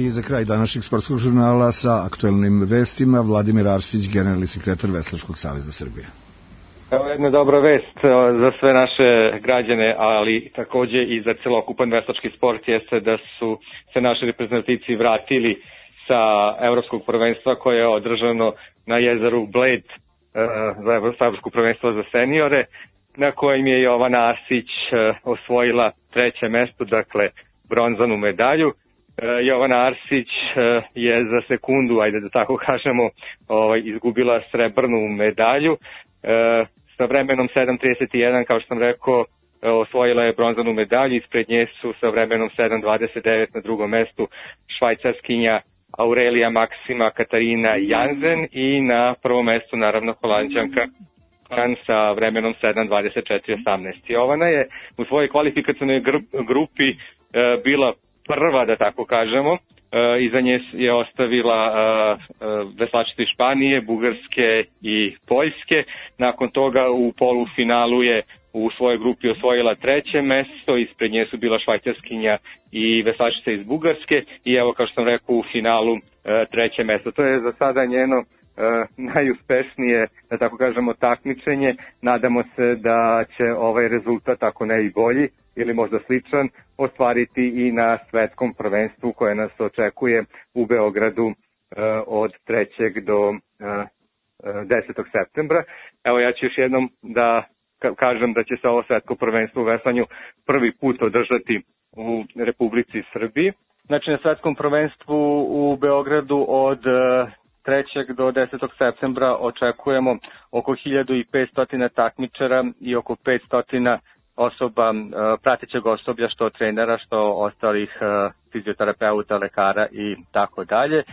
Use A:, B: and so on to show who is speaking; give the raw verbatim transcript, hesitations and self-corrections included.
A: I za kraj današnjeg sportskog žurnala sa aktuelnim vestima Vladimir Arsić, generalni sekretar Veslačkog saveza Srbije.
B: Evo jedna dobra vest za sve naše građane, ali takođe i za celokupan veslački sport jeste da su se naši reprezentativci vratili sa evropskog prvenstva koje je održano na jezeru Bled za evropsko prvenstvo za seniore, na kojem je Jovana Arsić osvojila treće mesto, dakle bronzanu medalju. Jovana Arsić je za sekundu, ajde da tako kažemo, izgubila srebrnu medalju. Sa vremenom sedam trideset jedan, kao što sam rekao, osvojila je bronzanu medalju, ispred nje su sa vremenom sedam dvadeset devet na drugom mestu švajcarskinja Aurelija Maksima Katarina Janzen i na prvom mestu naravno Holanđanka sa vremenom sedam dvadeset četiri osamnaest. Jovana je u svojoj kvalifikacionoj grupi bila prva, da tako kažemo. Iza nje je ostavila veslačice iz Španije, Bugarske i Poljske. Nakon toga u polufinalu je u svojoj grupi osvojila treće mesto, ispred nje su bila švajcarskinja i veslačica iz Bugarske i evo, kao što sam rekao, u finalu treće mesto. To je za sada njeno najuspešnije, da tako kažemo, takmičenje. Nadamo se da će ovaj rezultat, ako ne i bolji ili možda sličan, ostvariti i na svetskom prvenstvu koje nas očekuje u Beogradu od trećeg do desetog septembra. Evo, ja ću još jednom da kažem da će se ovo svetsko prvenstvo u veslanju prvi put održati u Republici Srbiji. Znači, na svetskom prvenstvu u Beogradu od trećeg do desetog septembra očekujemo oko hiljadu petsto takmičara i oko petsto osoba, pratećeg osoblja, što trenera, što ostalih fizioterapeuta, lekara i tako dalje.